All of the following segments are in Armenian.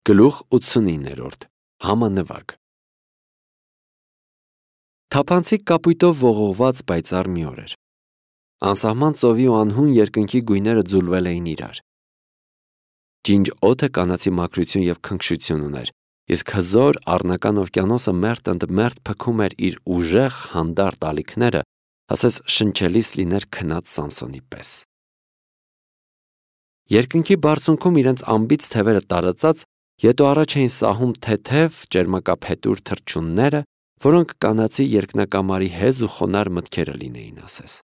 Գլուխ 89-րդ Համանվագ Թափանցիկ կապույտով ողողված պայծառ մի օր էր։ Անսահման ծովի ու անհուն երկնքի գույները ձուլվել էին իրար։ Ջինջ օդը կանացի մաքրություն և քնքշություն ուներ, իսկ հզոր առնական օվկիանոսը մերթ ընդ մերթ փքում էր իր ուժեղ հանդարտ ալիքները, ասես շնչելիս լիներ քնած Սամսոնի պես։ Երկնքի բարձունքում իրենց անբիծ թևերը տարածած, ետո առաջ էին սահում թեթև, ճերմակափետուր թռչունները, որոնք կանացի երկնակամարի հեզ ու խոնար մտքերը լինեին ասես։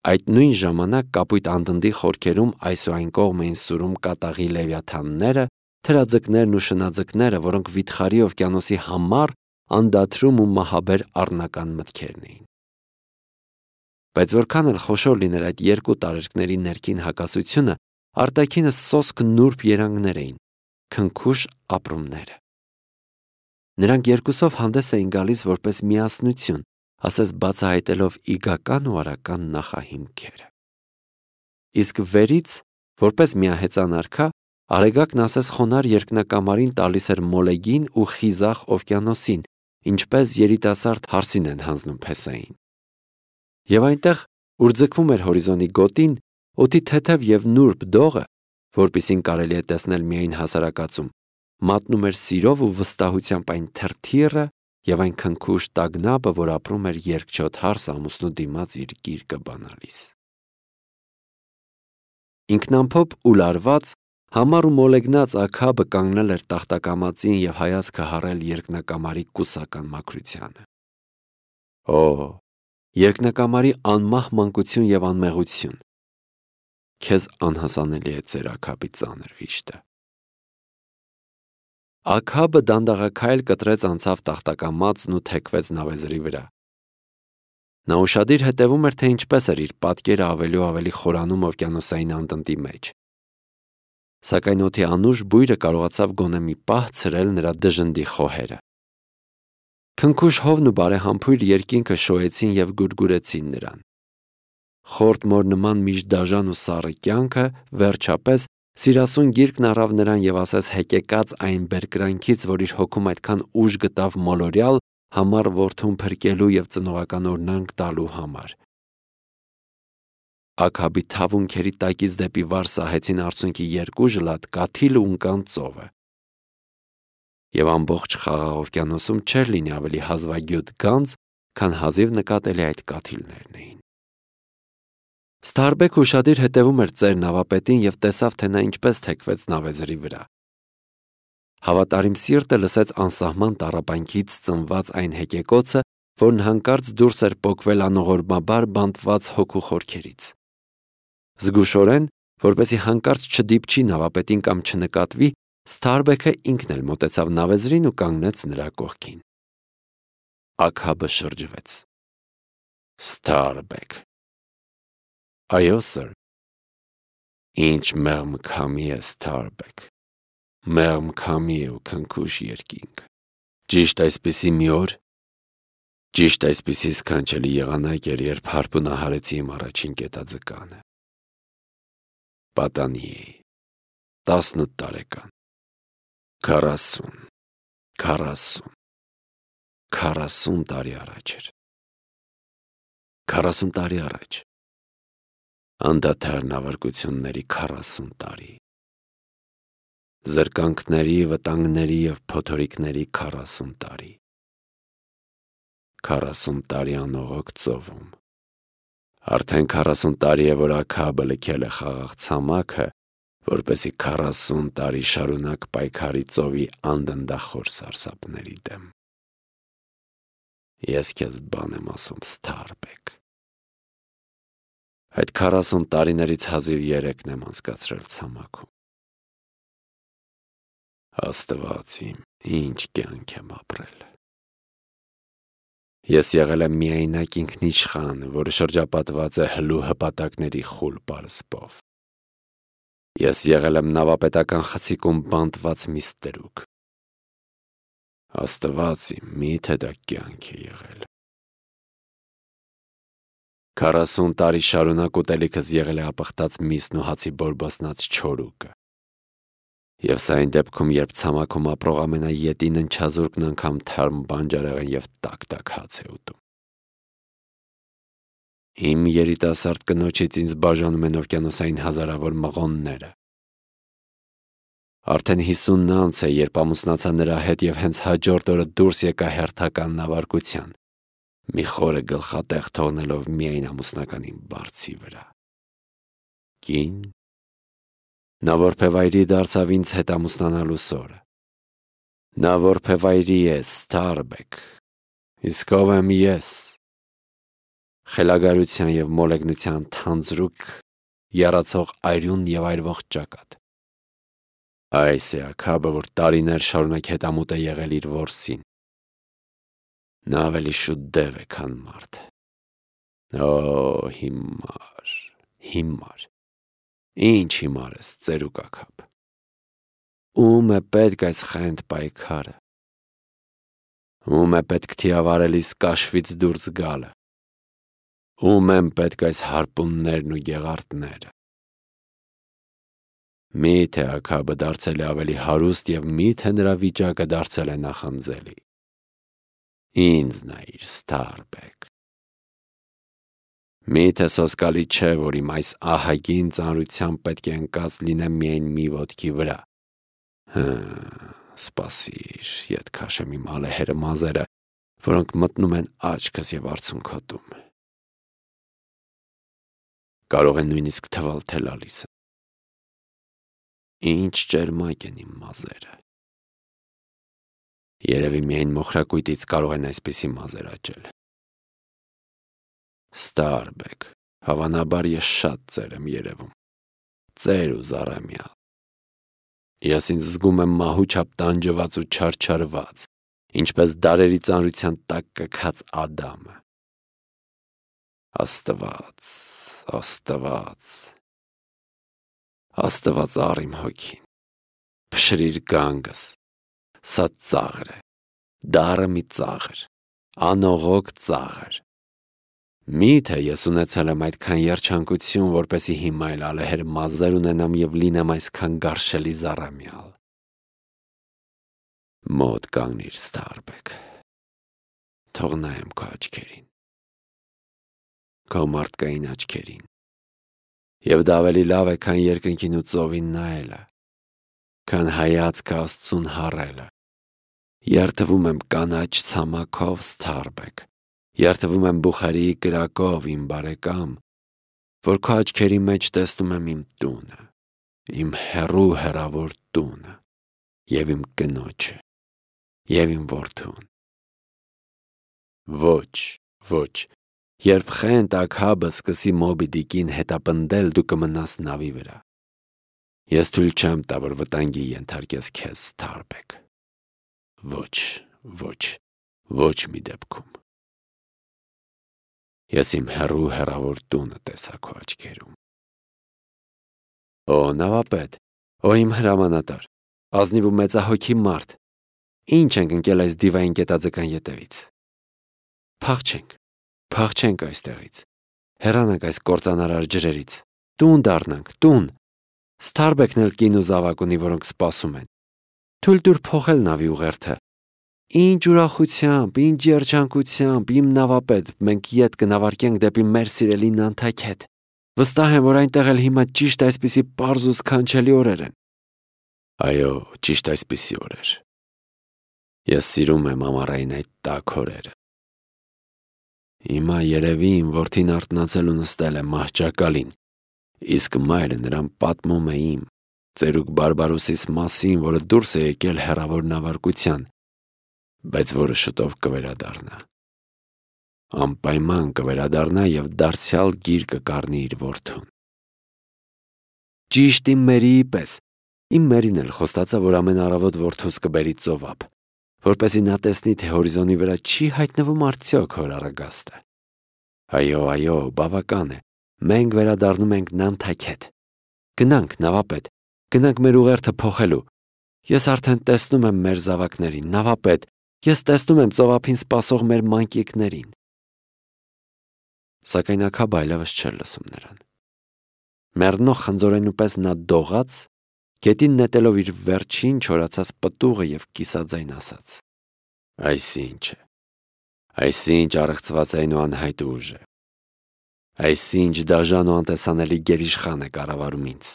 Այդ նույն ժամանակ կապույտ անդնդի խորքերում այս ու այն կողմ էին սուրում կատաղի լևիաթանները, թրաձկներն ու շնաձկները, որոնք վիթխարի օվկիանոսի համառ, անդադրում ու մահաբեր առնական մտքերն էին։ Բայց որքան էլ խոշոր լիներ այդ երկու տարերկների ներքին հակասությունը, արտաքինը սոսկ նուրբ երանգներ էին, քնքուշ ապրումները։ Նրանք երկուսով հանդես էին գալիս որպես միասնություն, ասես բացահայտելով իգական ու արական նախահիմքերը։ Իսկ վերից, որպես միահեծան արքա, Արեգակն ասես խոնար երկնակամարին տալիս էր մոլեգին ու խիզախ օվկիանոսին, ինչպես երիտասարդ հարսին են հանձնում փեսային։ Եվ այնտեղ, ուր ձգվում էր հորիզոնի գոտին, օդի թեթև և նուրբ դողը, որպիսին կարելի է տեսնել միայն հասարակածում, մատնում էր սիրով ու վստահությամբ այն թրթիռը և այն քնքուշ տագնապը, որ ապրում էր երկչոտ հարս ամուսնու դիմաց իր գիրկը բանալիս։ Ինքնամփոփ ու լարված, համառ ու մոլեգնած Աքաբը կանգնել էր տախտակամածին և հայացքը հառել երկնակամարի կուսական մաքրությանը։ Օ, երկնակամարի անմահ մանկություն և անմեղություն։ Քեզ անհասանելի է ծեր Աքաբի ծանր վիշտը։ Աքաբը դանդաղաքայլ կտրեց անցավ տախտակամածն ու թեքվեց նավեզրի վրա։ Նա ուշադիր հետևում էր, թե ինչպես էր իր պատկերը ավելի ու ավելի խորանում օվկիանոսային անդնդի մեջ։ Սակայն օդի անուշ բույրը կարողացավ գոնե մի պահ ցրել նրա դժնդի խոհերը։ Քնքուշ հովն ու բարեհամբույր երկինքը շոյեցին և գուրգուրեցին նրան։ Խորտ մոր նման միջդաժան ու սառը կյանքը, վերջապես, սիրասուն գիրկն առավ նրան և ասես հեկեկած այն բերկրանքից, որ իր հոգում այդքան ուժ գտավ մոլորյալ, համառ որդուն փրկելու և ծնողական օրհնանք տալու համար։ Աքաբի թավունքերի տակից դեպի վար սահեցին արցունքի երկու ժլատ կաթիլը ու ընկան ծովը։ Եվ ամբողջ խաղաղ օվկիանոսում չէր լինի ավելի հազվագյուտ գանձ, քան հազիվ նկատելի այդ կաթիլներն էին։ Սթարբեքը ուշադիր հետևում էր ծեր նավապետին և տեսավ, թե նա ինչպես թեքվեց նավեզրի վրա։ Հավատարիմ սիրտը լսեց անսահման տառապանքից ծնված այն հեկեկոցը, որն հանկարծ դուրս էր պոկվել անողորմաբար բանտված հոգու խորքերից։ Զգուշորեն, որպեսզի հանկարծ չդիպչի նավապետին կամ չնկատվի, Սթարբեքը ինքն էլ մոտեցավ նավեզրին ու կանգնեց նրա կողքին։ Աքաբը շրջվեց։ Սթարբեք։ Այո, սըր։ Ինչ մեղմ քամի է, Սթարբեք։ Մեղմ քամի ու քնքուշ երկինք։ Ճիշտ այսպիսի մի օր, ճիշտ այսպիսի սքանչելի եղանակ էր, երբ հարբունահարեցի իմ առաջին կետաձկանը։ Պատանի էի, 18 տարեկան։ 40 տարի առաջ էր։ 40 տարի առաջ։ Անդադար նավարկությունների 40 տարի։ Զրկանքների, վտանգների և փոթորիկների 40 տարի։ 40 տարի անողոք ծովում։ Արդեն 40 տարի է, որ Աքաբը լքել է խաղաղ ցամաքը, որպեսզի 40 տարի շարունակ պայքարի ծովի անդնդախոր սարսափների դեմ։ Ես քեզ բան եմ ասում, Սթարբեք։ Այդ 40 տարիներից հազիվ 3-ն եմ անցկացրել ցամաքում։ Աստված իմ, ինչ կյանք եմ ապրել։ Ես եղել եմ միայնակ ինքնիշխան, որը շրջապատված է հլու հպատակների խուլ պարսպով։ Ես եղել եմ նավապետական խցիկում բանտված մի ստրուկ։ Աստված իմ, միթե դա կյանք է եղել։ 40 տարի շարունակ ուտելիքս եղել է ապխտած միսն ու հացի բորբոսնած չորուկը։ Եվ սա այն դեպքում, երբ ցամաքում ապրող ամենաետին ընչազուրկն անգամ թարմ բանջարեղեն և տակ-տակ հաց է ուտում։ Իմ երիտասարդ կնոջից ինձ բաժանում են օվկիանոսային հազարավոր մղոնները։ Արդեն 50-ն անց է, երբ ամուսնացա նրա հետ և հենց հաջորդ օրը դուրս եկա հերթական նավարկության, մի խորը գլխատեղ թողնելով միայն ամուսնական իմ բարձի վրա։ Կին։ Նա որբևայրի դարձավ ինձ հետ ամուսնանալուս օրը։ Նա որբևայրի է, Ստարբեկ, իսկ ով եմ ես։ Խելագարության և մոլեգնության թանձրուկ, եռացող այրուն և այրվող ճակատ։ Այս է Աքաբը, որ տարիներ շարունակ հետամուտ է եղել իր որսին։ Նա ավելի շուտ դև է, քան մարդ։ Օ, հիմար։ Ինչ հիմար ես, ծերուկ Աքաբ։ Ում է պետք այս խենթ պայքարը։ Ում է պետք թիավարելիս կաշվից դուրս գալը։ Ում են պետք այս հարպուններն ու գեղարդները։ Միթե Աքաբը դարձել է ավելի հարուստ և միթե նրա վիճակը դարձել է նախանձելի։ Ինձ նայիր, Ստարբեկ։ Միթե սոսկալի չէ, որ իմ այս ահագին ծանրությամբ պետք է ընկած լինեմ միայն մի ոտքի վրա։ Սպասիր, ետ քաշեմ իմ ալեհերը մազերը, որոնք մտնում են աչքս և արցունքոտում։ Կարող է նույնիսկ թվալ, թե լալիս եմ։ Ինչ ճերմակ են իմ մազերը։ Երևի միայն մոխրակույտից կարող են այսպիսի մազեր աճել։ Ստարբեկ, հավանաբար ես շատ ծեր եմ երևում։ Ծեր ու զառամյալ։ Ես ինձ զգում եմ մահու չափ տանջված ու չարչարված, ինչպես դարերի ծանրության տակ կքած Ադամը։ Աստված առ իմ հոգին, փշրիր գանգս, սա ծաղր է, դառը մի ծաղր, անողոք ծաղր։ Միթե ես ունեցել եմ այդքան երջանկություն, որպեսզի հիմա էլ ալեհեր մազեր ունենամ և լինեմ այսքան գարշելի զառամյալ։ Մոտ կանգնիր, Ստարբեկ, թող նայեմ քո աչքերին, քո մարդկային աչքերին, և դա ավելի լավ է, քան երկնքին ու ծովին նայելը, քան հայացքը Աստծուն հառելը։ Երդվում եմ կանաչ ցամաքով, Ստարբեկ, երդվում եմ Բուխարիի կրակով, իմ բարեկամ, որ քո աչքերի մեջ տեսնում եմ իմ տունը, իմ հեռու հեռավոր տունը, և իմ կնոջը, և իմ որդուն։ Ոչ, երբ խենթ Աքաբը սկսի Մոբի Դիկին հետապնդել, դու կմնաս նավի վրա։ Ես թույլ չեմ տա, որ վտանգի ենթարկես քեզ, Ստարբեկ։ Ոչ մի դեպքում։ Ես իմ հեռու հեռավոր տունը տեսա քո աչքերում։ Օ, նավապետ, օ իմ հրամանատար, ազնիվ ու մեծահոգի մարդ, ինչ ենք ընկել այս դիվային կետաձկան ետևից։ Փախչենք այստեղից, հեռանանք այս կործանարար ջրերից, տուն դառնանք, տուն։ Ստարբեկն էլ կին ու զավակ ունի, որոնք սպասում են։ Թույլ տուր փոխել նավի ուղերձը։ Ինչ ուրախությամբ, ինչ երջանկությամբ, իմ նավապետ, մենք ետ կնավարկենք դեպի մեր սիրելի Նանթաքեթ։ Վստահ եմ, որ այնտեղ էլ հիմա ճիշտ այսպիսի պարզ ու սքանչելի օրեր են։ Այո, ճիշտ այսպիսի օրեր։ Ես սիրում եմ ամառային այդ տաք օրերը։ Հիմա երևի իմ որդին արթնացել ու նստել է մահճակալին, իսկ մայրը նրան պատմում է իմ ծերուկ Բարբարոսիս մասին, որը դուրս է եկել հեռավոր նավարկության, բայց որը շուտով կվերադառնա։ Անպայման կվերադառնա և դարձյալ գիր կկառնի իր որդուն։ Ճիշտ իմ Մերիի պես։ Իմ Մերին էլ խոստացա, որ ամեն առավոտ որդուս կբերի ծովափ, որպեսզի նա տեսնի, թե հորիզոնի վրա չի հայտնվում արդյոք հոր առագաստը։ Այո, բավական է, մենք վերադառնում ենք Նանթաքեթ։ Գնանք, նավապետ, գնանք մեր ուղերձը փոխելու։ Ես արդեն տեսնում եմ մեր զավակներին, նավապետ, ես տեսնում եմ ծովափին սպասող մեր մանկիկներին։ Սակայն Աքաբը այլևս չէր լսում նրան։ Մեռնող խնձորենու պես նա դողաց Գետին նետելով իր վերջին չորացած պտուղը և կիսաձայն ասաց. «Այսինչ է, այսինչ առեղծված այն ու անհայտ ուժ է, այսինչ դաժան ու անտեսանելի գերիշխան է կառավարում ինձ։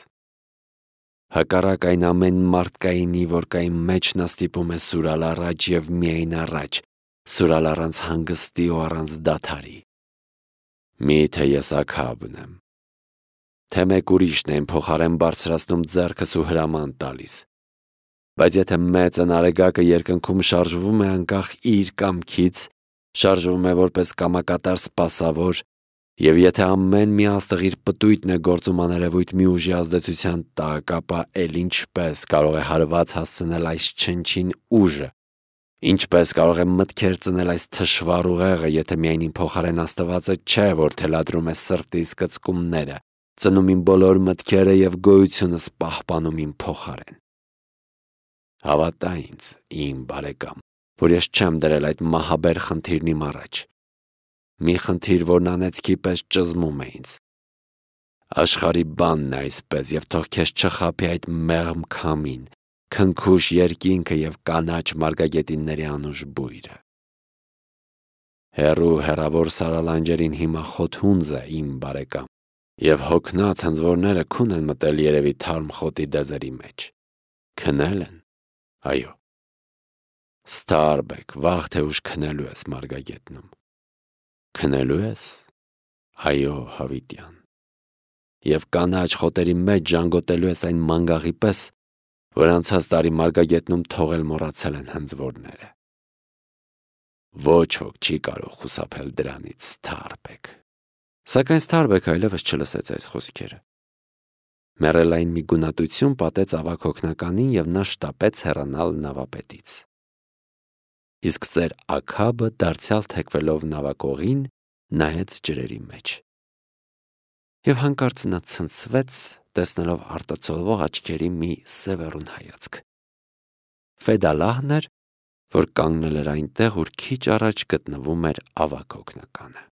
Հակառակ այն ամեն մարդկայինի, որ կա իմ մեջ, նա ստիպում է սուրալ առաջ և միայն առաջ, սուրալ առանց հանգստի ու առանց դադարի։ Միթե ես Աքաբն եմ, թե մեկ ուրիշն է իմ փոխարեն բարձրացնում ձեռքս ու հրաման տալիս։ Բայց եթե մեծն արեգակը երկնքում շարժվում է անկախ իր կամքից, շարժվում է որպես կամակատար սպասավոր, և եթե ամեն մի աստղ իր պտույտն է գործում աներևույթ մի ուժի ազդեցության տակ, ապա էլ ինչպես կարող է հարված հասցնել այս չնչին ուժը, ինչպես կարող է մտքեր ծնել այս թշվառ ուղեղը, եթե միայն իմ փոխարեն Աստվածը չէ, որ թելադրում է սրտիս կծկումները, ծնում իմ բոլոր մտքերը և գոյությունս պահպանում իմ փոխարեն։ Հավատա ինձ, իմ բարեկամ, որ ես չեմ դրել այդ մահաբեր խնդիրն իմ առաջ, մի խնդիր, որն անեծքի պես ճզմում է ինձ։ Աշխարհի բանն է այսպես, և թող քեզ չխաբի այդ մեղմ քամին, քնքուշ երկինքը և կանաչ մարգագետինների անուշ բույրը։ Հեռու հեռավոր սարալանջերին հիմա խոթունձ է, իմ բարեկամ, և հոգնած հնձորները քուն են մտել երևի թարմ խոտի դեզերի մեջ։ Քնել են, այո։ Ստարբեք, վաղ թե ուշ քնելու ես մարգագետնում։ Քնելու ես, այո, հավիտյան, և կանաչ խոտերի մեջ ժանգոտելու ես այն մանգաղի պես, որ անցած տարի մարգագետնում թողել մոռացել են հնձվորները։ Ոչ ոք չի կարող խուսափել դրանից, Ստարբեք։ Սակայն Ստարբեկը այլևս չլսեց այս խոսքերը։ Մեռելային մի գունատություն պատեց ավագ հոգնականին, և նա շտապեց հեռանալ նավապետից։ Իսկ ծեր Աքաբը, դարձյալ թեքվելով նավակողին, նայեց ջրերի մեջ։ Եվ հանկարծ նա ցնցվեց, տեսնելով արտացոլվող աչքերի մի սևեռուն հայացք։ Ֆեդալահն էր, որ կանգնել էր այնտեղ, ուր քիչ առաջ գտնվում էր ավագ հոգնականը։